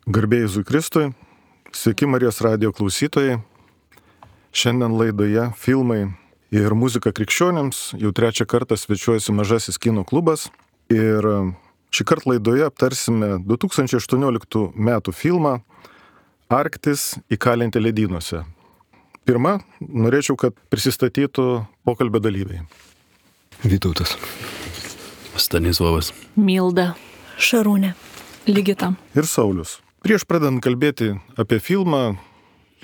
Garbė Jėzui Kristui, sveiki Marijos radijo klausytojai. Šiandien laidoje filmai ir muzika krikščionims jau trečią kartą svečiuojasi Mažasis kino klubas. Ir šį kartą laidoje aptarsime 2018 metų filmą Arktis įkalinti ledynuose. Pirma, norėčiau, kad prisistatytų pokalbio dalyviai. Vytautas. Stanislavas. Milda. Šarūnė. Ligita. Ir Saulius. Prieš pradedant kalbėti apie filmą,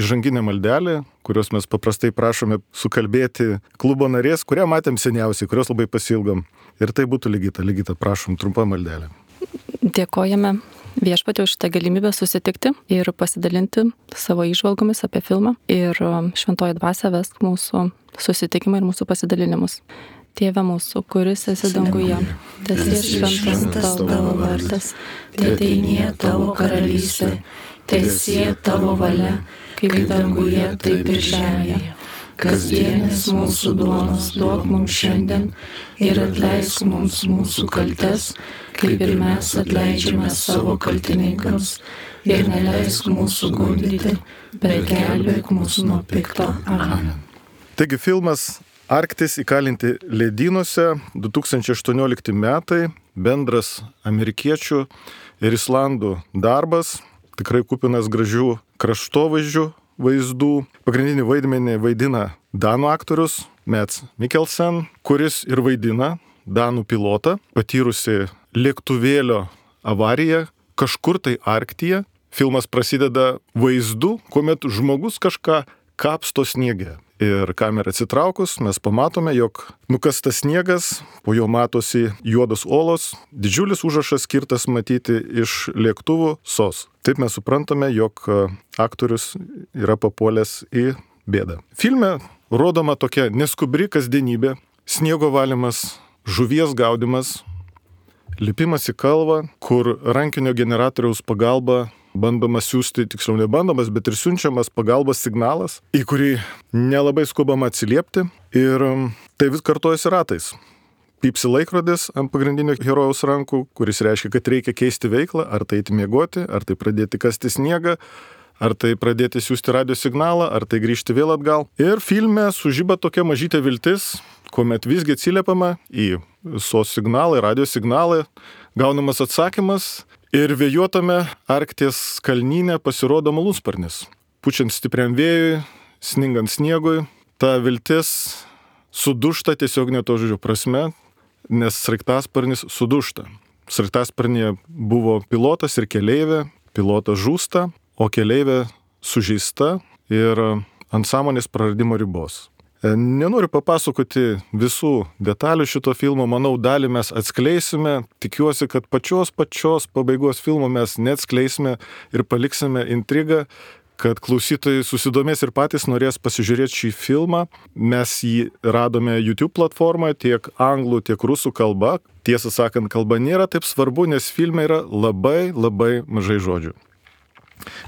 įžanginę maldelę, kurios mes paprastai prašome sukalbėti klubo narės, kurią matėm seniausiai, kurios labai pasilgom. Ir tai būtų Ligita. Ligita, prašom, trumpa maldelė. Dėkojame viešpatie už šitą galimybę susitikti ir pasidalinti savo įžvalgomis apie filmą. Ir šventoji dvasia vesk mūsų susitikimą ir mūsų pasidalinimus. Tėve mūsų, kuris esi danguje, teesie šventas tavo vardas, teateinie tavo karalystė, teesie tavo valia, kaip danguje, taip ir žemėje. Kasdienis mūsų duonos duok mums šiandien ir atleisk mums mūsų kaltes, kaip ir mes atleidžiame savo kaltininkams. Ir neleisk mūsų gundyti, bet gelbėk mūsų nuo pikto. Amen. Taigi filmas Arktis įkalinti ledynuose 2018 metai, bendras amerikiečių ir islandų darbas, tikrai kupinas gražių kraštovaizdžių vaizdų. Pagrindinį vaidmenį vaidina danų aktorius Mads Mikkelsen, kuris ir vaidina danų pilotą, patyrusi lėktuvėlio avariją kažkur tai Arktyje. Filmas prasideda vaizdu, kuomet žmogus kažką kapsto sniege. Ir kamerą atsitraukus mes pamatome, jog nukastas sniegas, po jo matosi juodos olos, didžiulis užrašas skirtas matyti iš lėktuvų SOS. Taip mes suprantame, jog aktorius yra papuolęs į bėdą. Filme rodoma tokia neskubri kasdienybė, sniego valymas, žuvies gaudymas, lipimas į kalvą, kur rankinio generatoriaus pagalba bandoma siūsti, tiksliau nebandomas, bet ir siunčiamas pagalbos signalas, į kurį nelabai skubama atsiliepti. Ir tai vis kartojasi ratais. Pypsi laikrodis ant pagrindinio herojaus rankų, kuris reiškia, kad reikia keisti veiklą, ar tai eiti miegoti, ar tai pradėti kasti sniegą, ar tai pradėti siūsti radio signalą, ar tai grįžti vėl atgal. Ir filme sužiba tokia mažytė viltis, kuomet visgi atsiliepiama į SOS signalą, radio signalą, gaunamas atsakymas. Ir vėjuotame Arkties kalnyne pasirodo malūnsparnis. Pučiant stipriam vėjui, sningant sniegui, ta viltis sudužta tiesiog ne to žodžio prasme, nes sraigtasparnis sudužta. Sraigtasparnyje buvo pilotas ir keleivė, pilotas žūsta, o keleivė sužeista ir ant sąmonės praradimo ribos. Nenoriu papasakoti visų detalių šito filmo, manau, dalį mes atskleisime, tikiuosi, kad pačios pabaigos filmo mes neatskleisime ir paliksime intrigą, kad klausytojai susidomės ir patys norės pasižiūrėti šį filmą. Mes jį radome YouTube platformoje tiek anglų, tiek rusų kalba. Tiesą sakant, kalba nėra taip svarbu, nes filme yra labai mažai žodžių.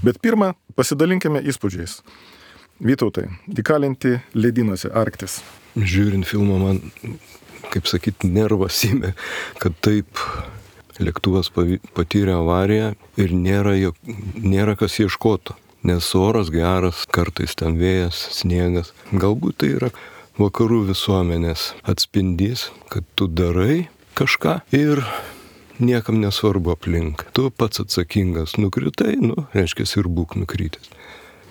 Bet pirmą, pasidalinkime įspūdžiais. Vytautai, įkalinti ledynuose Arktis. Žiūrint filmą man, kaip sakyti, nervas įmė, kad taip lėktuvas patyrė avariją ir nėra kas ieškotų. Nes oras geras, kartais ten vėjas, sniegas. Galbūt tai yra vakarų visuomenės atspindys, kad tu darai kažką ir niekam nesvarbu aplink. Tu pats atsakingas, nukritai, reiškia ir būk nukrytęs.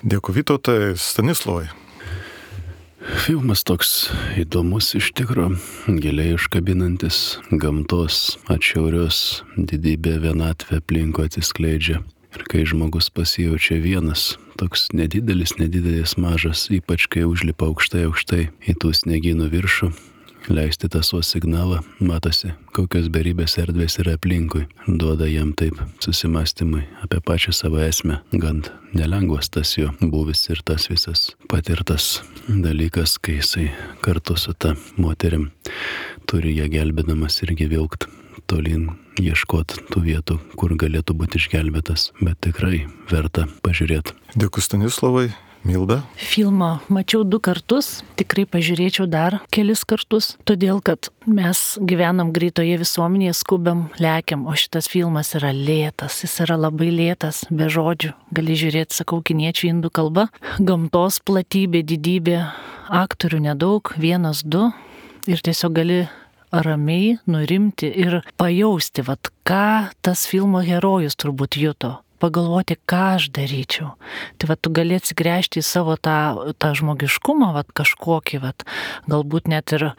Dėkui, Vytautai. Stanislavai. Filmas toks įdomus iš tikro, giliai užkabinantis, gamtos atšiaurios didybė, vienatvė aplinkui atsiskleidžia. Ir kai žmogus pasijaučia vienas, toks nedidelis, mažas, ypač kai užlipa aukštai į tų sniegynų viršų, leisti tą SOS signalą, matosi, kokios beribės erdvės yra aplinkui. Duoda jam taip susimastymui apie pačią savo esmę. Gan nelengvas tas jo buvis ir tas visas patirtas dalykas, kai jisai kartu su ta moterim turi ją gelbėdamas irgi vilkt tolyn, ieškot tų vietų, kur galėtų būti išgelbėtas. Bet tikrai verta pažiūrėti. Dėkui, Stanislavai. Milda? Filmą mačiau 2 kartus, tikrai pažiūrėčiau dar kelis kartus, todėl kad mes gyvenam greitoje visuomenėje, skubam, lekiam, o šitas filmas yra lėtas, jis yra labai lėtas, be žodžių, gali žiūrėti, sakau, kiniečių, indų kalba, gamtos platybė, didybė, aktorių nedaug, 1-2 ir tiesiog gali ramiai nurimti ir pajausti, vat, ką tas filmo herojus turbūt juto. Pagalvoti, ką aš daryčiau. Tai va, tu gali atsigręžti į savo tą žmogiškumą, va, kažkokį, va, galbūt net ir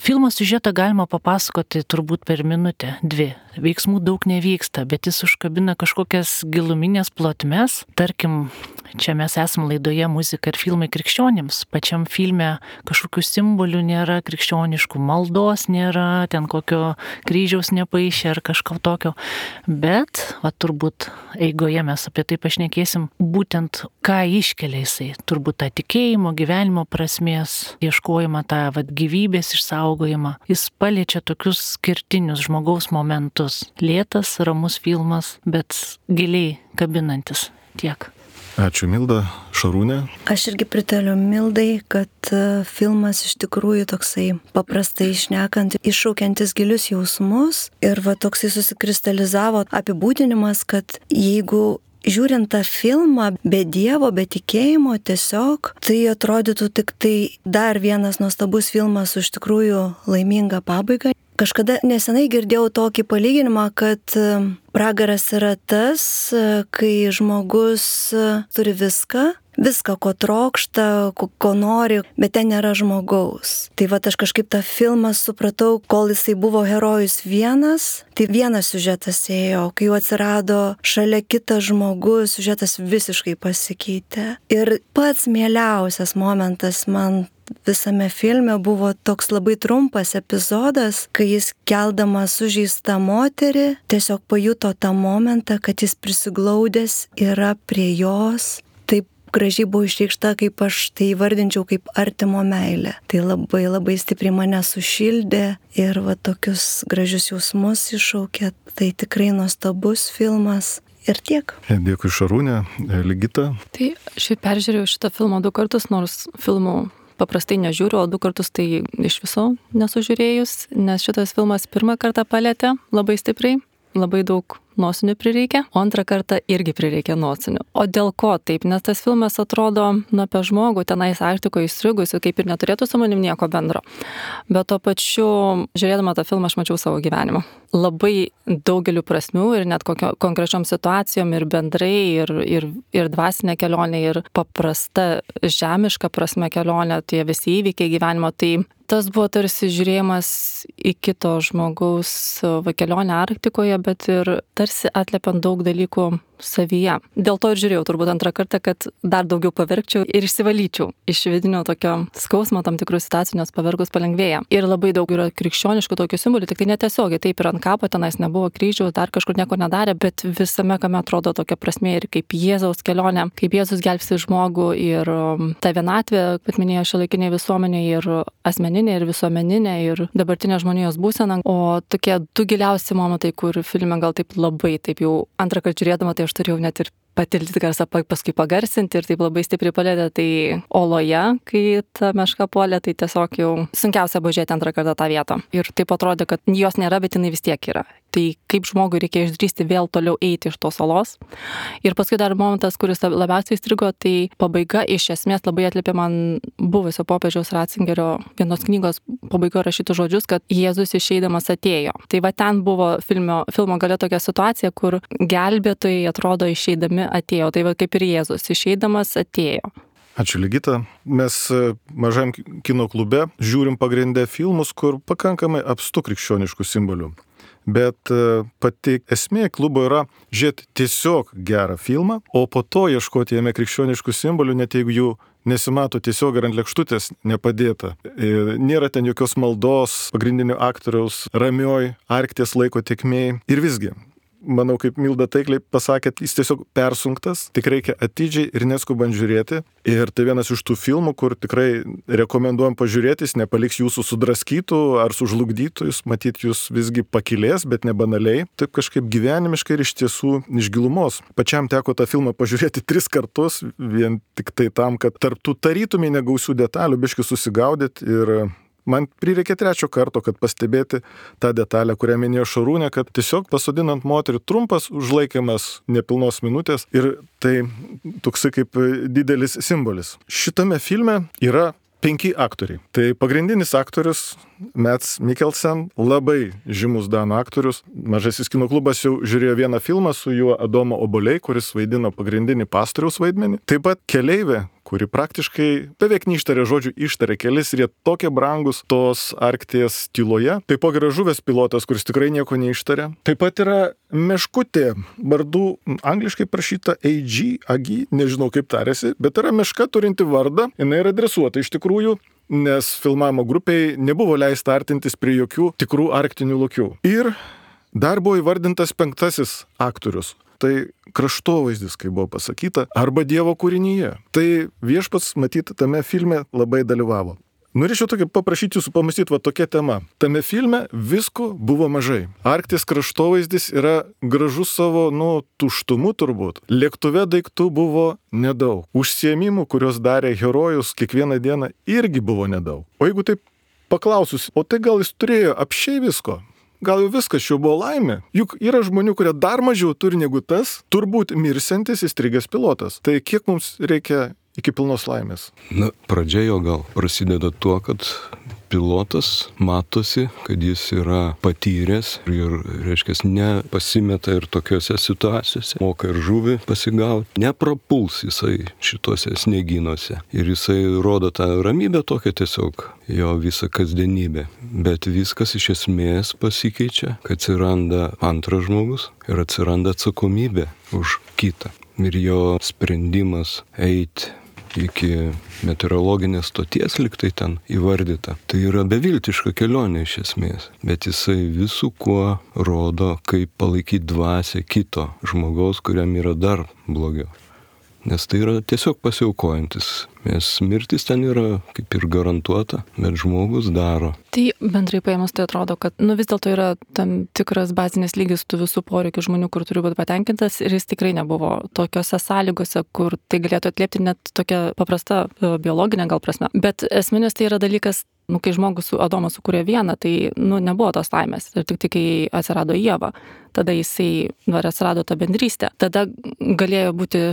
filmo siužetą galima papasakoti turbūt per minutę, 2. Veiksmų daug nevyksta, bet jis užkabina kažkokias giluminės plotmes. Tarkim, čia mes esame laidoje Muzika ir filmai krikščionims. Pačiam filme kažkokių simbolių nėra krikščioniškų, maldos nėra, ten kokio kryžiaus nepaišė ar kažko tokio. Bet, va, turbūt eigoje mes apie tai pašnekėsim, būtent ką iškelia jisai. Turbūt tą tikėjimo, gyvenimo prasmės, ieškojimą, tą va, gyvybės išsaugojimą. Jis paliečia tokius skirtinius žmogaus momentus. Lėtas, ramus filmas, bet giliai kabinantis. Tiek. Ačiū, Milda. Šarūnė? Aš irgi pritariu Mildai, kad filmas iš tikrųjų toksai paprastai šnekant, iššaukiantis gilius jausmus ir va toksai susikristalizavo apibūdinimas, kad jeigu žiūrint tą filmą be Dievo, be tikėjimo tiesiog, tai atrodytų tik tai dar vienas nuostabus filmas su iš tikrųjų laiminga pabaiga. Kažkada nesenai girdėjau tokį palyginimą, kad pragaras yra tas, kai žmogus turi viską, ko trokšta, ko nori, bet ten nėra žmogaus. Tai va aš kažkaip tą filmą supratau, kol jisai buvo herojus vienas, tai vienas siužetas ėjo, kai jau atsirado šalia kitas žmogus, siužetas visiškai pasikeitė. Ir pats mieliausias momentas man visame filme buvo toks labai trumpas epizodas, kai jis keldamas sužeistą moterį tiesiog pajuto tą momentą, kad jis prisiglaudęs yra prie jos. Taip gražiai buvo išreikšta, kaip aš tai įvardinčiau kaip artimo meilė. Tai labai labai stipriai mane sušildė ir va tokius gražius jausmus iššaukė. Tai tikrai nuostabus filmas. Ir tiek. Dėkui, Šarūnė. Ligita? Tai šiaip peržiūrėjau šitą filmą 2 kartus, nors filmų paprastai nežiūriu, o 2 kartus tai iš viso nesužiūrėjus, nes šitas filmas 1 kartą palėtė labai stipriai, labai daug nosinių prireikia, o 2 kartą irgi prireikia nosinių. O dėl ko taip? Nes tas filmas atrodo apie žmogų tenais Arktikoje įstrigusiu, kaip ir neturėtų su manim nieko bendro. Bet tuo pačiu, žiūrėdama tą filmą, aš mačiau savo gyvenimą. Labai daugeliu prasmių ir net konkrečiom situacijom ir bendrai, ir dvasinė kelionė, ir paprasta žemiška prasme kelionė, tie visi įvykiai gyvenimo. Tai tas buvo tarsi žiūrėjimas į kito žmogaus kelionę Arktikoje, bet ir tarsi atliepiant daug dalykų savyje. Dėl to ir žiūrėjau turbūt 2 kartą, kad dar daugiau paverkčiau ir išsivalyčiau iš vidinio tokio skausmo tam tikrų situacijų, nes pavergus palengvėja. Ir labai daug yra krikščioniškų tokių simbolių, tik tai netiesiogiai, taip ir ant kapo tenais nebuvo kryžių, dar kažkur nieko nedarė, bet visame kame atrodo tokia prasmė ir kaip Jėzaus kelionė, kaip Jėzus gelbsti žmogų ir ta vienatvė, kaip minėjo šiuolaikinė visuomenė, ir asmeninė, ir visuomeninė, ir dabartinė žmonijos būsena. O tokie 2 giliausi momentai, kur filme gal taip labai, taip jau 2 kartą žiūrėdama, tai aš turėjau net ir patilti garsą, paskui pagarsinti ir taip labai stipriai palėtė. Tai oloje, kai ta meška puolė, tai tiesiog jau sunkiausia buvo žiūrėti 2 kartą tą vietą. Ir taip atrodė, kad jos nėra, bet jinai vis tiek yra. Tai kaip žmogui reikia išdrįsti vėl toliau eiti iš tos olos. Ir paskui dar momentas, kuris labiausiai įstrigo, tai pabaiga iš esmės labai atliepė man buvusio popiežiaus Ratzingerio vienos knygos pabaigoje rašytų žodžius, kad Jėzus išeidamas atėjo. Tai va ten buvo filmo gale tokia situacija, kur gelbėtojai atrodo išeidami atėjo. Tai va kaip ir Jėzus išeidamas atėjo. Ačiū, Ligita. Mes mažam kino klube žiūrim pagrindę filmus, kur pakankamai apstu krikščioniškų simbolių. Bet pati esmė klubo yra žiūrėti tiesiog gerą filmą, o po to ieškoti jame krikščioniškų simbolių, net jeigu jų nesimato tiesiog ir ant lėkštutės nepadėta. Nėra ten jokios maldos pagrindinio aktoriaus ramioj Arkties laiko tėkmėj. Ir visgi, manau, kaip Milda taikliai pasakė, jis tiesiog persunktas, tik reikia atidžiai ir neskubant žiūrėti. Ir tai vienas iš tų filmų, kur tikrai rekomenduojam pažiūrėti, jis nepaliks jūsų sudraskytų ar sužlugdytų, jis matyt jūs visgi pakilės, bet ne banaliai, taip kažkaip gyvenimiškai ir iš tiesų iš gilumos. Pačiam teko tą filmą pažiūrėti 3 kartus, vien tik tai tam, kad tarptų tarytumai negausių detalių biški susigaudyti ir man prireikė 3 karto, kad pastebėti tą detalę, kurią minėjo Šarūnė, kad tiesiog pasodinant moterį trumpas užlaikymas nepilnos minutės ir tai toksai kaip didelis simbolis. Šitame filme yra 5 aktoriai. Tai pagrindinis aktorius Mads Mikkelsen, labai žymus danų aktorius. Mažasis kino klubas jau žiūrėjo vieną filmą su juo Adomo Obuoliai, kuris vaidino pagrindinį pastoriaus vaidmenį. Taip pat keleivė, kuri praktiškai beveik neištarė žodžių, ištarė kelis ir jie tokie brangus tos Arkties tyloje. Taipogi yra žuvęs pilotas, kuris tikrai nieko neištarė. Taip pat yra meškutė, vardu angliškai prašyta AG, nežinau kaip tarėsi, bet yra meška turinti vardą, jinai yra dresuota iš tikrųjų, nes filmavimo grupiai nebuvo leista artintis prie jokių tikrų arktinių lokių. Ir dar buvo įvardintas 5 aktorius. Tai kraštovaizdis, kaip buvo pasakyta, arba Dievo kūrinyje. Tai viešpats, matyt, tame filme labai dalyvavo. Norėčiau tokį paprašyti jūsų pamastyti, va tokia tema. Tame filme visko buvo mažai. Arkties kraštovaizdis yra gražus savo, tuštumu turbūt. Lėktuve daiktų buvo nedaug. Užsiėmimų, kuriuos darė herojus kiekvieną dieną, irgi buvo nedaug. O jeigu taip paklausus, o tai gal jis turėjo apšiai visko? Gal jau viskas čia buvo laimė? Juk yra žmonių, kurie dar mažiau turi negu tas, turbūt mirsiantis įstrigęs pilotas. Tai kiek mums reikia iki pilnos laimės? Pradžia jo gal prasideda tuo, kad pilotas matosi, kad jis yra patyręs ir, reiškia, nepasimeta ir tokiuose situacijose, moka ir žuvį pasigauti, neprapuls jisai šituose snieginuose. Ir jisai rodo tą ramybę tokią tiesiog, jo visą kasdienybę. Bet viskas iš esmės pasikeičia, kad atsiranda antras žmogus ir atsiranda atsakomybė už kitą. Ir jo sprendimas eiti iki meteorologinės stoties, liktai ten įvardyta. Tai yra beviltiška kelionė iš esmės, bet jisai visų kuo rodo, kaip palaikyti dvasią kito žmogaus, kuriam yra dar blogiau. Nes tai yra tiesiog pasiaukojantis. Nes mirtis ten yra kaip ir garantuota, bet žmogus daro. Tai bendrai paėmus tai atrodo, kad vis dėlto yra tam tikras bazinis lygis tų visų poreikių žmonių, kur turi būti patenkintas ir jis tikrai nebuvo tokiose sąlygose, kur tai galėtų atliepti net tokia paprasta biologinė gal prasme. Bet esminis tai yra dalykas, kai žmogus su Adomu sukūrė vieną, tai nebuvo tos laimės. Ir tik kai atsirado Ieva, tada jisai atsirado ta bendrystė. Tada galėjo būti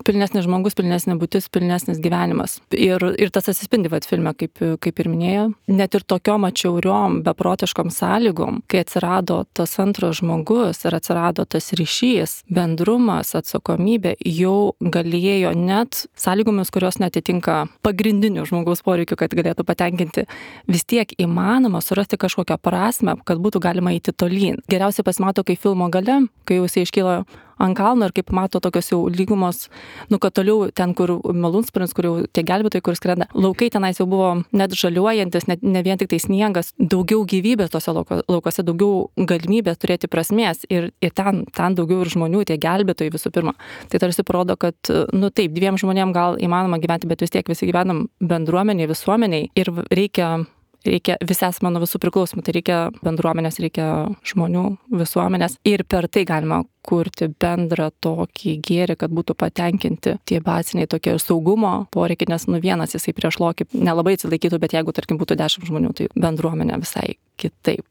pilnesnis žmogus, pilnesnė būtis, pilnesnis gyvenimas. Ir tas atsispindi filme, kaip ir minėjo. Net ir tokiom atšiauriom, beprotiškom sąlygom, kai atsirado tas antras žmogus ir atsirado tas ryšys, bendrumas, atsakomybė, jau galėjo net sąlygomis, kurios netitinka pagrindinių žmogaus poreikių, kad galėtų patenkinti, vis tiek įmanoma surasti kažkokią prasmę, kad būtų galima eiti tolyn. Geriausiai pasimato, kai filmo gale, kai jau jisai iškyla ant kalno ir kaip mato tokios jau lygumos, kad toliau ten, kur malūnsparnis, kur jau tie gelbėtojai, kur skrenda, laukai tenais jau buvo net žaliuojantis, ne vien tik tai sniegas, daugiau gyvybės tose laukose, daugiau galimybės turėti prasmės ir ten daugiau ir žmonių, tie gelbėtojai visų pirma. Tai tarsi parodo, kad, taip, 2 žmonėm gal įmanoma gyventi, bet vis tiek visi gyvenam bendruomeniai, visuomeniai ir reikia visi esame nuo visų priklausomų, tai reikia bendruomenės, reikia žmonių, visuomenės ir per tai galima kurti bendrą tokį gėrį, kad būtų patenkinti tie baziniai tokie saugumo poreikiai, nes vienas jisai prieš lokį nelabai atsilaikytų, bet jeigu, tarkim, būtų 10 žmonių, tai bendruomenė visai kitaip.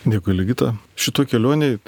Dėkui, Ligita. Šito kelionėje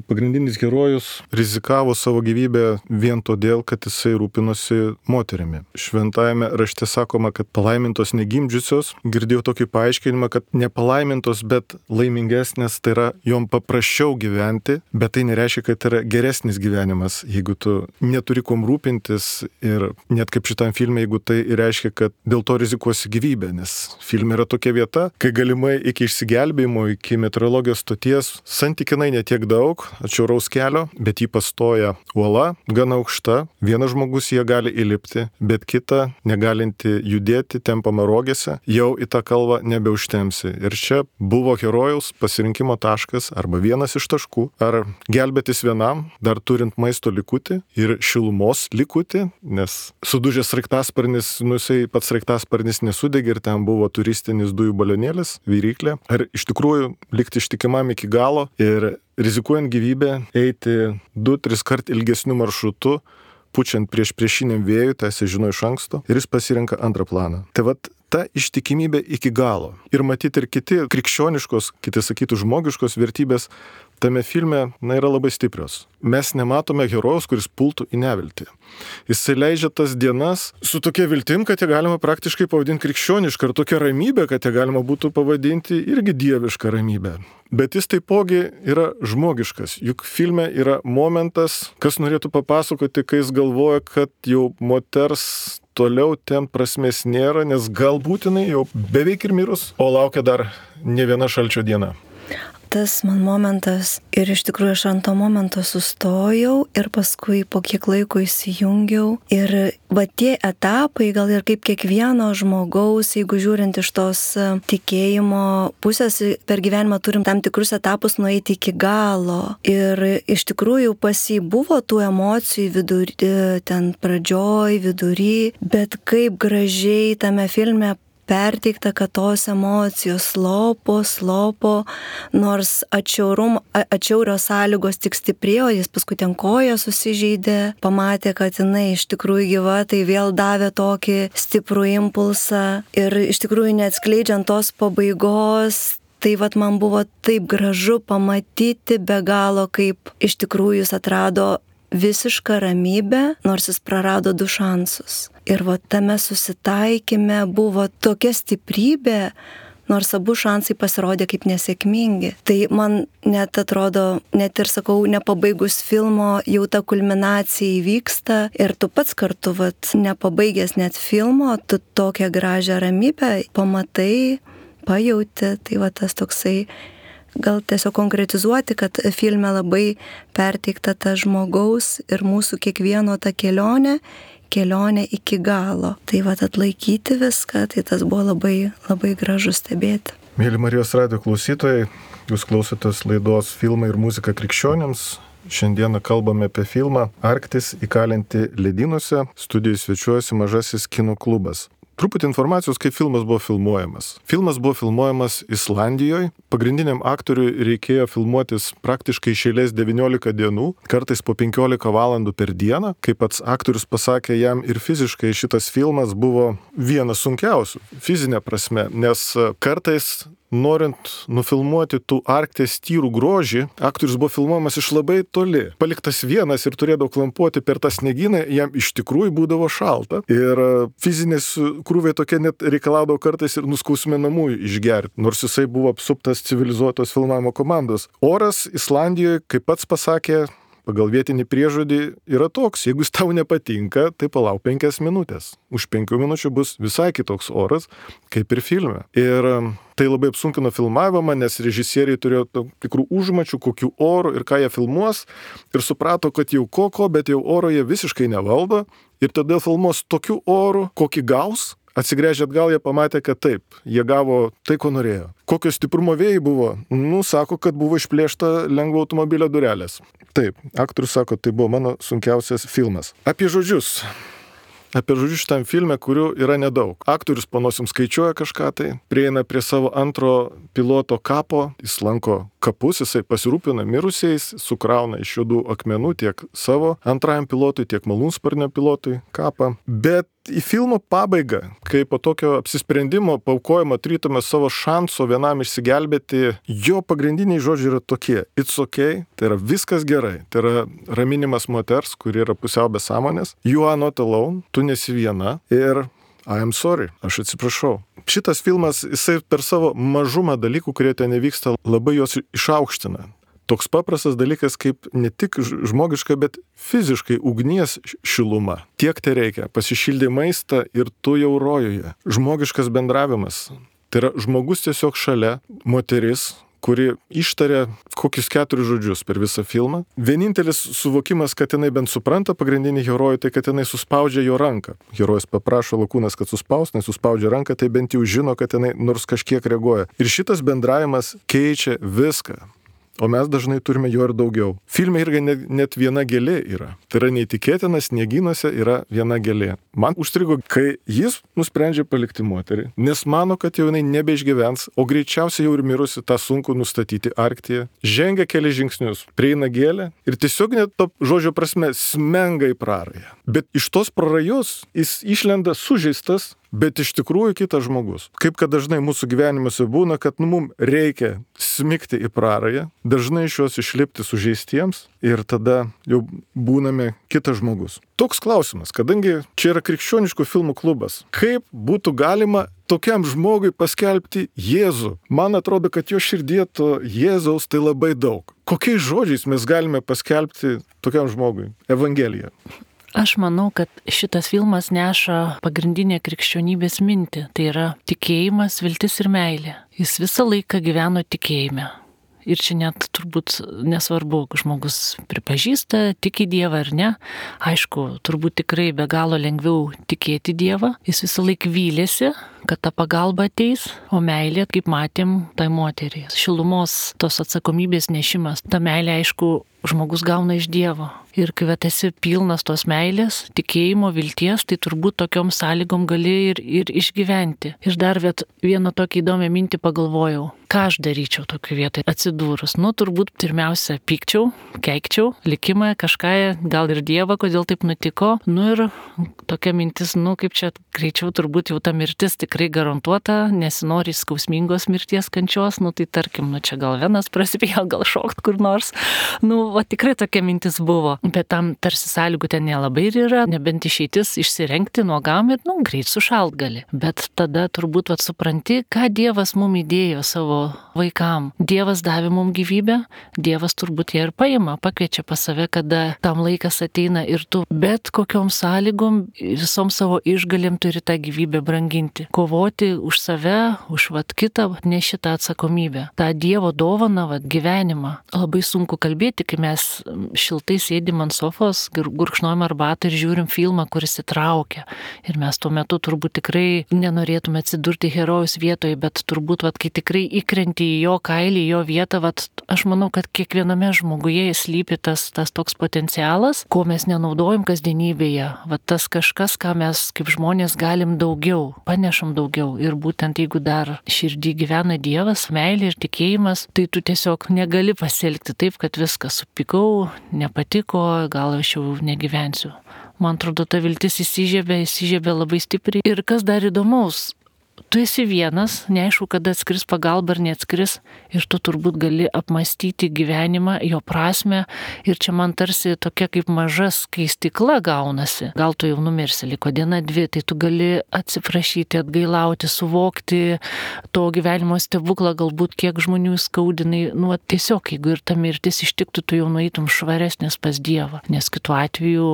pagrindinis herojus rizikavo savo gyvybę vien todėl, kad jisai rūpinosi moterimi. Šventajame rašte sakoma, kad palaimintos negimdžiusios, girdėjau tokį paaiškinimą, kad nepalaimintos, bet laimingesnės, tai yra jom paprasčiau gyventi, bet tai nereiškia, kad yra geresnis gyvenimas, jeigu tu neturi kom rūpintis ir net kaip šitam filme, jeigu tai reiškia, kad dėl to rizikuosi gyvybę, nes filme yra tokia vieta, kai galimai iki išsigelbėjimo, iki meteorologijos žemėgio stoties santykinai netiek daug, atšiauraus kelio, bet jį pastoja uola, gana aukšta, vienas žmogus jie gali įlipti, bet kita, negalinti judėti, tempama rogėse, jau į tą kalvą nebeužtemsi. Ir čia buvo herojaus pasirinkimo taškas arba vienas iš taškų, ar gelbėtis vienam, dar turint maisto likutį ir šilumos likutį, nes sudužęs sraigtasparnis, jisai pats sraigtasparnis nesudegė ir ten buvo turistinis dujų balionėlis, viryklė, ar iš tikrųjų likti ištikimam iki galo ir rizikuojant gyvybę eiti 2-3 kart ilgesniu maršrutu, pučiant priešiniam vėjui, tai jis žino iš anksto, ir jis pasirenka antrą planą. Tai vat ta ištikimybė iki galo. Ir matyti ir kiti krikščioniškos, kiti sakytų žmogiškos vertybės tame filme, yra labai stiprios. Mes nematome herojaus, kuris pultų į neviltį. Jisai leidžia tas dienas su tokia viltim, kad ją galima praktiškai pavadinti krikščionišką, ir tokia ramybė, kad ją galima būtų pavadinti irgi dievišką ramybę. Bet jis taipogi yra žmogiškas. Juk filme yra momentas, kas norėtų papasakoti, kai jis galvoja, kad jau moters toliau ten prasmės nėra, nes galbūt jinai jau beveik ir mirus, o laukia dar ne viena šalčio diena. Tas man momentas, ir iš tikrųjų aš ant to momento sustojau ir paskui po kiek laiko įsijungiau. Ir va tie etapai, gal ir kaip kiekvieno žmogaus, jeigu žiūrint iš tos tikėjimo pusės, per gyvenimą turim tam tikrus etapus nueiti iki galo. Ir iš tikrųjų pas jį buvo tų emocijų vidury, ten pradžioj, vidury, bet kaip gražiai tame filme perteikta, kad tos emocijos slopo, nors atšiaurios sąlygos tik stiprėjo, jis paskui ten koją susižeidė, pamatė, kad jinai iš tikrųjų gyva, tai vėl davė tokį stiprų impulsą ir iš tikrųjų neatskleidžiant tos pabaigos. Tai vat man buvo taip gražu pamatyti be galo, kaip iš tikrųjų jis atrado visišką ramybę, nors jis prarado 2 šansus. Ir va tame susitaikime buvo tokia stiprybė, nors abu šansai pasirodė kaip nesėkmingi. Tai man net atrodo, net ir sakau, nepabaigus filmo, jau ta kulminacija įvyksta ir tu pats kartu, nepabaigęs net filmo, tu tokią gražią ramybę pamatai, pajauti. Tai va tas toksai, gal tiesiog konkretizuoti, kad filme labai perteikta ta žmogaus ir mūsų kiekvieno ta kelionė iki galo. Tai va atlaikyti viską, tai tas buvo labai, labai gražu stebėti. Mėly Marijos radijo klausytojai, jūs klausotės laidos Filmai ir muzika krikščionims. Šiandieną kalbame apie filmą Arktis įkalinti ledynuose. Studijoje svečiuojasi Mažasis kino klubas. Truputį informacijos, kaip filmas buvo filmuojamas. Filmas buvo filmuojamas Islandijoje. Pagrindiniam aktoriui reikėjo filmuotis praktiškai iš eilės 19 dienų, kartais po 15 valandų per dieną. Kaip pats aktorius pasakė, jam ir fiziškai šitas filmas buvo vienas sunkiausių, fizinė prasme, nes kartais norint nufilmuoti tų Arkties tyrų grožį, aktorius buvo filmuojamas iš labai toli. Paliktas vienas ir turėdavo klampuoti per tą sniegyną, jam iš tikrųjų būdavo šalta. Ir fizinės krūviai tokie net reikalaudavo kartais ir nuskausminamųjų išgerti, nors jisai buvo apsuptas civilizuotos filmavimo komandos. Oras Islandijoje, kaip pats pasakė, pagal vietinį priežodį yra toks, jeigu jis tau nepatinka, tai palauk 5 minutės. Už 5 minučių bus visai kitoks oras, kaip ir filme. Ir tai labai apsunkino filmavimą, nes režisieriai turėjo tikrų užmačių, kokių orų ir ką jie filmuos, ir suprato, kad jau bet jau oro jie visiškai nevaldo, ir todėl filmuos tokių orų, kokį gaus. Atsigręžę atgal, jie pamatė, kad taip, jie gavo tai, ko norėjo. Kokio stiprumo vėjai buvo? Sako, kad buvo išplėšta lengvo automobilio durelės. Taip, aktorius sako, tai buvo mano sunkiausias filmas. Apie žodžius šitam filme, kurių yra nedaug. Aktorius po nosim skaičiuoja kažką tai, prieina prie savo antro piloto kapo, jis lanko kapus, jisai pasirūpina mirusiais, sukrauna iš juodų akmenų tiek savo antrajam pilotui, tiek malūnsparnio pilotui kapą. Bet į filmo pabaigą, kai po tokio apsisprendimo paaukojimo trytume savo šanso vienam išsigelbėti, jo pagrindiniai žodžiai yra tokie: it's okay, tai yra viskas gerai, tai yra raminimas moters, kuri yra pusiau be sąmonės, you are not alone, tu nesi viena, ir I am sorry, aš atsiprašau. Šitas filmas, jisai per savo mažumą dalykų, kurie ten nevyksta, labai juos išaukština. Toks paprastas dalykas kaip ne tik žmogiška, bet fiziškai ugnies šiluma. Tiek tai reikia. Pasišildė maistą ir tu jau rojuje. Žmogiškas bendravimas. Tai yra žmogus tiesiog šalia, moteris, kuri ištaria kokius 4 žodžius per visą filmą. Vienintelis suvokimas, kad jinai bent supranta pagrindinį herojų, tai kad jinai suspaudžia jo ranką. Herojus paprašo Lakūnas, kad suspaus, nes suspaudžia ranką, tai bent jau žino, kad jinai nors kažkiek reaguoja. Ir šitas bendravimas keičia viską. O mes dažnai turime jo ir daugiau. Filme irgi net viena gėlė yra. Tai yra neįtikėtina, sniegynuose yra viena gėlė. Man užstrigo, kai jis nusprendžia palikti moterį, nes mano, kad jau jinai nebeišgyvens, o greičiausiai jau ir mirusi, tą sunku nustatyti Arktyje. Žengia keli žingsnius, prieina gėlę ir tiesiog net to žodžio prasme smenga į prarają. Bet iš tos prarajos jis išlenda sužeistas, bet iš tikrųjų kitas žmogus. Kaip kad dažnai mūsų gyvenimuose būna, kad mums reikia smigti į prarają, dažnai iš jos išlipti sužeistiems ir tada jau būname kitas žmogus. Toks klausimas, kadangi čia yra krikščioniškų filmų klubas, kaip būtų galima tokiam žmogui paskelbti Jėzų? Man atrodo, kad jo širdie to Jėzaus tai labai daug. Kokiais žodžiais mes galime paskelbti tokiam žmogui Evangeliją? Aš manau, kad šitas filmas neša pagrindinę krikščionybės mintį. Tai yra tikėjimas, viltis ir meilė. Jis visą laiką gyveno tikėjime. Ir čia net turbūt nesvarbu, žmogus pripažįsta, tiki Dievą ar ne. Aišku, turbūt tikrai be galo lengviau tikėti Dievą. Jis visą laiką vylėsi, kad ta pagalba ateis, o meilė, kaip matėm, tai moteriai. Šilumos tos atsakomybės nešimas. Ta meilė, aišku, žmogus gauna iš Dievo. Ir kai esi pilnas tos meilės, tikėjimo, vilties, tai turbūt tokiom sąlygom gali ir išgyventi. Ir dar vieną tokį įdomią mintį pagalvojau. Ką aš daryčiau tokio vietoje atsidūrus? Turbūt pirmiausia pykčiau, keikčiau, likimą, kažką, gal ir Dievą, kodėl taip nutiko. Ir tokia mintis, kaip čia greičiau turbūt jau ta mirtis tikrai garantuota, nesinori skausmingos mirties kančios, tai tarkim, čia gal venas prasipėjo, gal šokt kur nors. Tikrai tokia mintis buvo. Bet tam tarsi sąlygų ten nelabai ir yra, nebent išeitis išsirengti nuogam ir, greit sušalt gali. Bet tada turbūt supranti, ką Dievas mum įdėjo savo vaikam. Dievas davė mum gyvybę, Dievas turbūt ją ir paima, pakviečia pas save, kada tam laikas ateina ir tu bet kokiom sąlygom, visom savo išgalėm turi tą gyvybę branginti. Kovoti už save, už kitą, neši tą atsakomybę. tą Dievo dovaną, gyvenimą. Labai sunku kalbėti, kai mes šiltai sėdim ant sofos, gurkšnojam arbatą ir žiūrim filmą, kuris įtraukia. Ir mes tuo metu turbūt tikrai nenorėtume atsidurti herojaus vietoje, bet turbūt, kai tikrai įkrenti į jo kailį, į jo vietą, aš manau, kad kiekviename žmoguje slypi tas toks potencialas, ko mes nenaudojam kasdienybėje. Tas kažkas, ką mes kaip žmonės galim daugiau, panešam daugiau. Ir būtent jeigu dar širdį gyvena Dievas, meilė ir tikėjimas, tai tu tiesiog negali pasielgti taip, kad viskas supykau, nepatiko, gal aš jau negyvensiu. Man atrodo, ta viltis įsižiebė labai stipriai. Ir kas dar įdomaus, tu esi vienas, neaišku, kada atskris pagalba ar neatskris, ir tu turbūt gali apmastyti gyvenimą, jo prasme, ir čia man tarsi tokia kaip maža skaistykla gaunasi. Gal tu jau numirsi, liko diena, dvi, tai tu gali atsiprašyti, atgailauti, suvokti to gyvenimo stebuklą, galbūt kiek žmonių skaudinai, tiesiog, jeigu ir ta mirtis ištiktų, tu jau nueitum švaresnis pas Dievą, nes kitu atveju,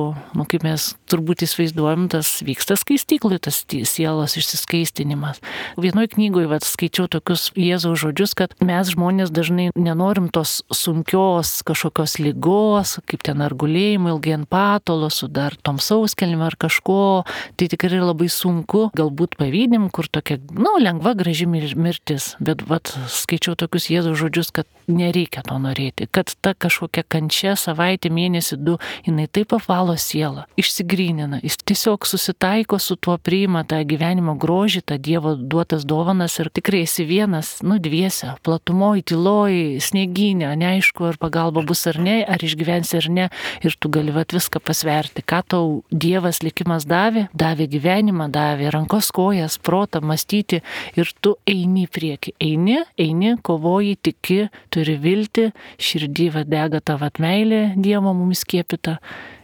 kaip mes turbūt įsivaizduojam, tas vyksta skaistyklui, tas sielos išsiskaistinimas. Vienoj knygoje skaičiau tokius Jėzaus žodžius, kad mes žmonės dažnai nenorim tos sunkios kažkokios ligos, kaip ten ar gulėjimo ilgai ant patalo, su dar tom sauskelnėm ar kažko, tai tikrai labai sunku, galbūt pavydim, kur tokia, lengva, graži mirtis, bet skaičiau tokius Jėzaus žodžius, kad nereikia to norėti, kad ta kažkokia kančia, savaitė, mėnesį, 2, jinai taip apvalo sielą, išsigrynina, jis tiesiog susitaiko su tuo, priima tą gyvenimo grožį, tą Dievo duotas dovanas ir tikrai esi vienas, dviese, platumoj, tyloj, sniegynė, neaišku, ar pagalba bus ar ne, ar išgyvensi ar ne, ir tu gali viską pasverti, ką tau Dievas likimas davė gyvenimą, davė rankos, kojas, protą, mąstyti, ir tu eini į priekį, eini, kovoji, tiki, turi viltį, širdį dega tavo meilė Dievo mums skiepita,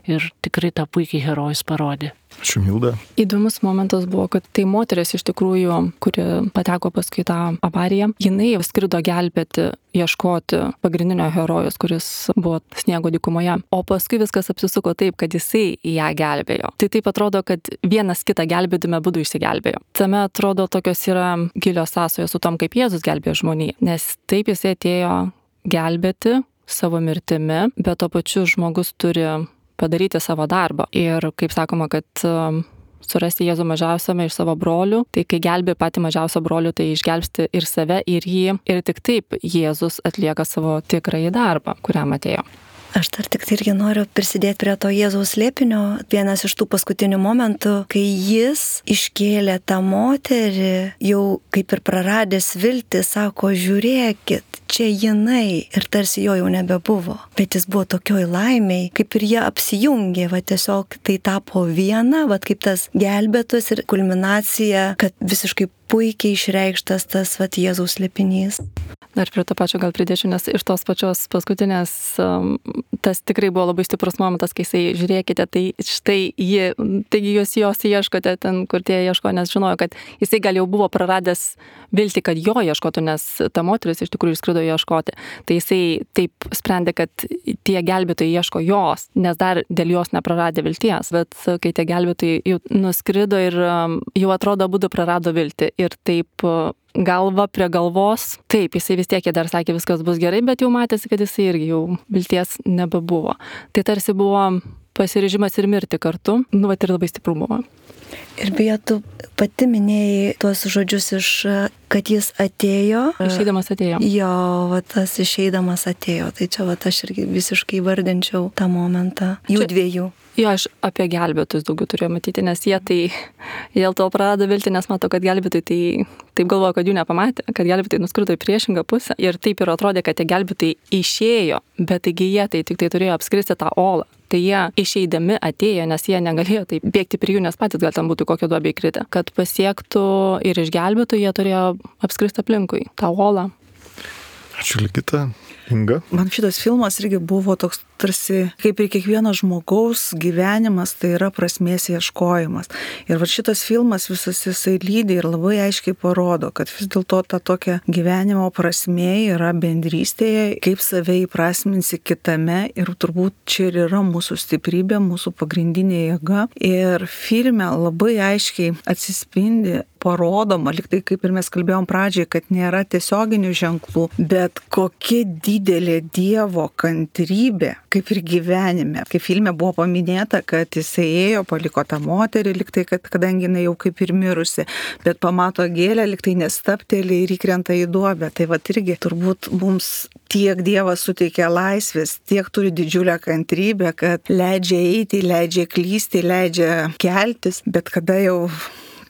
ir tikrai tą puikiai herojus parodė. Ačiū, Milda. Įdomus momentas buvo, kad tai moteris iš tikrųjų, kuri pateko paskui tą avariją, jinai skrido gelbėti, ieškoti pagrindinio herojus, kuris buvo sniego dykumoje. O paskui viskas apsisuko taip, kad jisai ją gelbėjo. Tai taip atrodo, kad vienas kitą gelbėdami būdų išsigelbėjo. Tame atrodo tokios yra gilios sąsajos su tom, kaip Jėzus gelbėjo žmoniją. Nes taip jisai atėjo gelbėti savo mirtimi, bet tuo pačiu žmogus turi padaryti savo darbą. Ir kaip sakoma, kad surasti Jėzų mažiausiame iš savo brolių, tai kai gelbė patį mažiausią brolių, tai išgelbsti ir save, ir jį. Ir tik taip Jėzus atlieka savo tikrąjį darbą, kuriam atėjo. Aš dar tik irgi noriu prisidėti prie to Jėzaus slėpinio. Vienas iš tų paskutinių momentų, kai jis iškėlė tą moterį, jau kaip ir praradęs viltį, sako, žiūrėkit, čia jinai. Ir tarsi jo jau nebebuvo. Bet jis buvo tokioj laimiai, kaip ir jie apsijungė, va tiesiog tai tapo viena, va kaip tas gelbėtojas ir kulminacija, kad visiškai puikiai išreikštas tas va Jėzaus slėpinys. Dar prie to pačio gal pridėčiau, nes iš tos pačios paskutinės tas tikrai buvo labai stiprus momentas, kai jisai, žiūrėkite, tai štai ji, taigi jos ieškote ten, kur tie ieško, nes žinojo, kad jisai gal jau buvo praradęs viltį, kad jo ieškotų, nes ta moteris iš tikrųjų išskrido ieškoti. Tai jisai taip sprendė, kad tie gelbėtojai ieško jos, nes dar dėl jos nepraradė vilties. Bet kai tie gelbėtojai jau nuskrido ir jau atrodo abudu prarado viltį ir taip galva prie galvos, taip, jisai vis tiek dar sakė, viskas bus gerai, bet jau matėsi, kad jisai irgi jau vilties nebebuvo. Tai tarsi buvo pasiryžimas ir mirti kartu, vat ir labai stiprų buvo. Ir beje, tu pati minėjai tuos žodžius kad jis atėjo. Išeidamas atėjo. Jo, va tas išeidamas atėjo. Tai čia va aš irgi visiškai vardinčiau tą momentą. Jų dviejų. Jo, aš apie gelbėtus daugiau turėjau matyti, nes jie tai dėl to prarado viltį, nes matau, kad gelbėtai tai taip galvoja, kad jų nepamatė, kad gelbėtai nuskrido į priešingą pusę ir taip ir atrodė, kad tie gelbėtai išėjo, bet taigi jie tai tik tai turėjo apskristi tą olą. Tai jie išeidami atėjo, nes jie negalėjo taip bėgti prie jų, nes patys gal ten būtų kokią duobę įkritę. Kad pasiektų ir išgelbėtų, jie turėjo apskristi aplinkui tą olą. Ačiū, Ligita. Inga. Man šitas filmas irgi buvo toks tarsi, kaip ir kiekvieno žmogaus gyvenimas, tai yra prasmės ieškojimas. Ir va šitas filmas visas jisai lydi ir labai aiškiai parodo, kad vis dėlto ta tokia gyvenimo prasmė yra bendrystėje, kaip save įprasminsi kitame ir turbūt čia ir yra mūsų stiprybė, mūsų pagrindinė jėga. Ir filme labai aiškiai atsispindi, parodoma, lyg tai kaip ir mes kalbėjom pradžiai, kad nėra tiesioginių ženklų, bet kokia didelė Dievo kantrybė, kaip ir gyvenime. Kaip filme buvo paminėta, kad jisai ėjo, paliko tą moterį, lyg tai, kad kadangi jinai jau kaip ir mirusi, bet pamato gėlę, lyg tai nestapteli ir įkrenta į duobę. Tai va irgi turbūt mums tiek Dievas suteikia laisvės, tiek turi didžiulę kantrybę, kad leidžia eiti, leidžia klysti, leidžia keltis, bet kada jau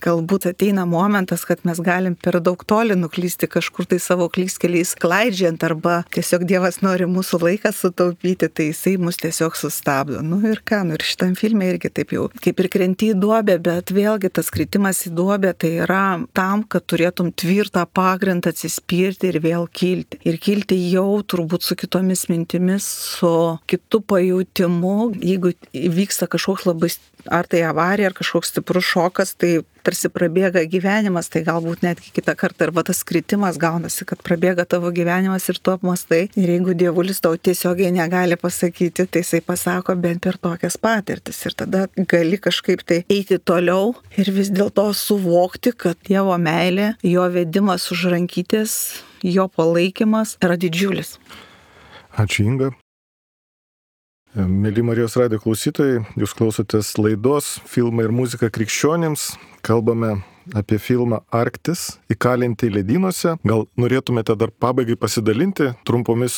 galbūt ateina momentas, kad mes galim per daug toli nuklysti kažkur tai savo klystkeliais klaidžiant, arba tiesiog Dievas nori mūsų laiką sutaupyti, tai jisai mus tiesiog sustabdo. Ir ką, ir šitam filme irgi taip jau kaip ir krenti į duobę, bet vėlgi tas kritimas į duobę tai yra tam, kad turėtum tvirtą pagrindą atsispirti ir vėl kilti. Ir kilti jau turbūt su kitomis mintimis, su kitu pajūtimu, jeigu įvyksta kažkoks labai, ar tai avarija, ar kažkoks stiprus šokas, tai tarsi prabėga gyvenimas, tai galbūt netgi kitą kartą arba tas kritimas gaunasi, kad prabėga tavo gyvenimas ir tu apmastai. Ir jeigu dievulis tau tiesiogiai negali pasakyti, tai jisai pasako bent per tokias patirtis. Ir tada gali kažkaip tai eiti toliau ir vis dėlto suvokti, kad Dievo meilė, jo vedimas už rankytės, jo palaikymas yra didžiulis. Ačiū, Inga. Mėly Marijos radijo klausytojai, jūs klausotės laidos Filmai ir muzika krikščionims. Kalbame apie filmą Arktis, įkalinti ledynuose. Gal norėtumėte dar pabaigai pasidalinti trumpomis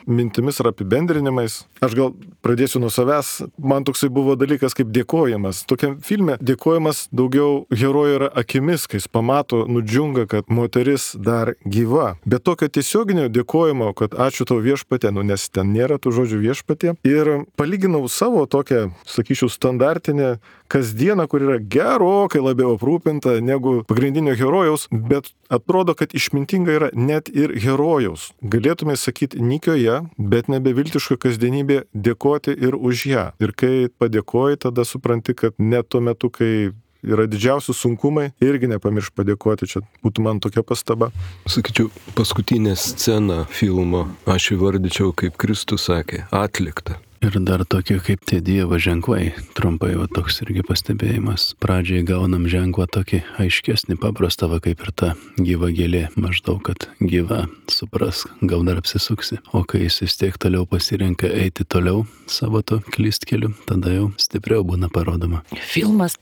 mintimis ar apibendrinimais? Aš gal pradėsiu nuo savęs. Man toksai buvo dalykas kaip dėkojimas. Tokiam filme dėkojimas daugiau herojų yra akimis, kai jis pamato, nudžiunga, kad moteris dar gyva. Bet tokio tiesioginio dėkojimo, kad ačiū tau viešpatie, nes ten nėra tų žodžių viešpatie. Ir palyginau savo tokią, sakyčiau, standartinę kasdieną, kur yra gerokai labiau aprūpinta, negu pagrindinio herojaus, bet atrodo, kad išmintinga yra net ir herojaus. Galėtume sakyti nikioje, bet nebeviltiška kasdienybė dėkoti ir už ją. Ir kai padėkoji, tada supranti, kad net tuo metu, kai yra didžiausi sunkumai, irgi nepamiršk padėkoti. Čia būtų man tokia pastaba. Sakyčiau, paskutinė scena filmo aš įvardyčiau, kaip Kristus sakė, atlikta. Ir dar tokie kaip tie Dievo ženklai, trumpai va toks irgi pastebėjimas. Pradžiai gaunam ženklą tokį aiškesnį, paprastą, va kaip ir ta gyva gėlė, maždaug, kad gyva, suprask, gal dar apsisuksi. O kai jis vis tiek toliau pasirenka eiti toliau savo to klystkeliu, tada jau stipriau būna parodoma. Filmas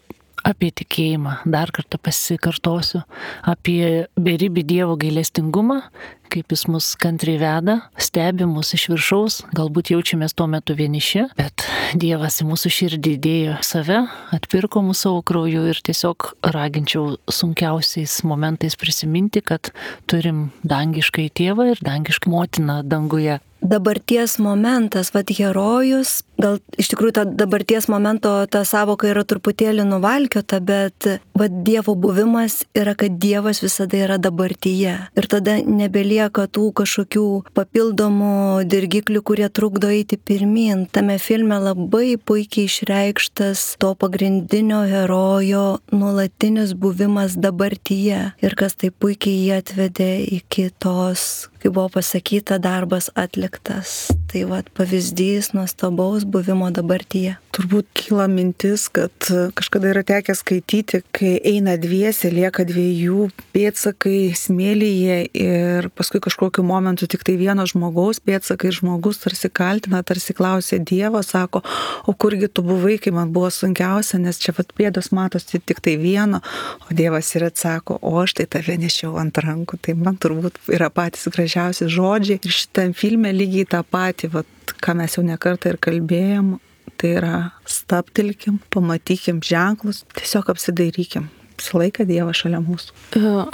apie tikėjimą, dar kartą pasikartosiu, apie beribį Dievo gailestingumą, kaip jis mus kantriai veda, stebi mus iš viršaus, galbūt jaučiamės tuo metu vieniši, bet Dievas į mūsų širdį įdėjo save, atpirko mūsų savo krauju ir tiesiog raginčiau sunkiausiais momentais prisiminti, kad turim dangiškai tėvą ir dangiškai motiną danguje. Dabarties momentas, herojus, gal iš tikrųjų ta dabarties momento ta savoka yra truputėlį nuvalkiota, bet Dievo buvimas yra, kad Dievas visada yra dabartyje. Ir tada nebelieka tų kažkokių papildomų dirgiklių, kurie trukdo eiti pirmin. Tame filme labai puikiai išreikštas to pagrindinio herojo nuolatinis buvimas dabartyje. Ir kas tai puikiai jį atvedė iki tos, kaip buvo pasakyta, darbas atliktas. Tai pavyzdys nuostabaus buvimo dabartyje. Turbūt kyla mintis, kad kažkada yra tekę skaityti, kai eina dviese, lieka dviejų pėdsakai smėlyje ir paskui kažkokiu momentu tik tai vieno žmogaus pėdsakai, žmogus tarsi kaltina, tarsi klausė Dievo, sako, o kurgi tu buvai, kai man buvo sunkiausia, nes čia pėdos matosi tik tai vieno, o Dievas ir atsako, o aš tai tave nešiau ant rankų. Tai man turbūt yra patys gražiausi žodžiai ir šitam filme lygiai tą patį, ką mes jau nekartą ir kalbėjom, tai yra stabtelkim, pamatykim ženklus, tiesiog apsidairykim. Visą laiką Dievas šalia mūsų.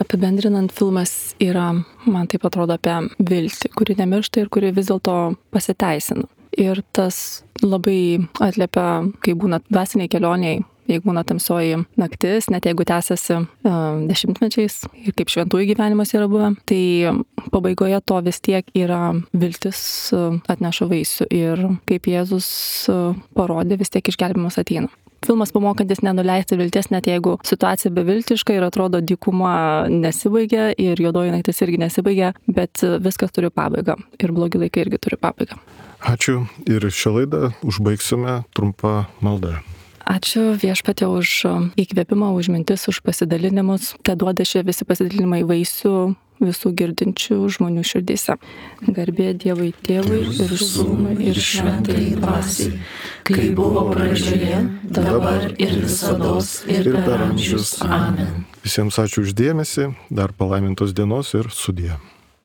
Apibendrinant, filmas yra, man taip atrodo, apie viltį, kuri nemiršta ir kuri vis dėlto pasiteisina. Ir tas labai atliepia, kai būna dvasiniai kelioniai, jeigu būna tamsioji naktis, net jeigu tęsiasi dešimtmečiais ir kaip šventųjų gyvenimas yra buvę, tai pabaigoje to vis tiek yra viltis atneša vaisių ir kaip Jėzus parodė, vis tiek išgelbėjimas ateina. Filmas pamokantis nenuleisti vilties, net jeigu situacija beviltiška ir atrodo dykuma nesibaigia ir juodoji naktis irgi nesibaigia, bet viskas turi pabaigą ir blogi laikai irgi turi pabaigą. Ačiū ir šią laidą užbaigsime trumpą maldą. Ačiū Viešpatie už įkvėpimą, už mintis, už pasidalinimus. Te duoda šie visi pasidalinimai vaisių visų girdinčių žmonių širdyse. Garbė Dievui Tėvui ir Sūnui ir Šventajai Dvasiai, kai buvo pradžioje, dabar ir visados ir per amžius. Amen. Visiems ačiū už dėmesį, dar palaimintos dienos ir sudie.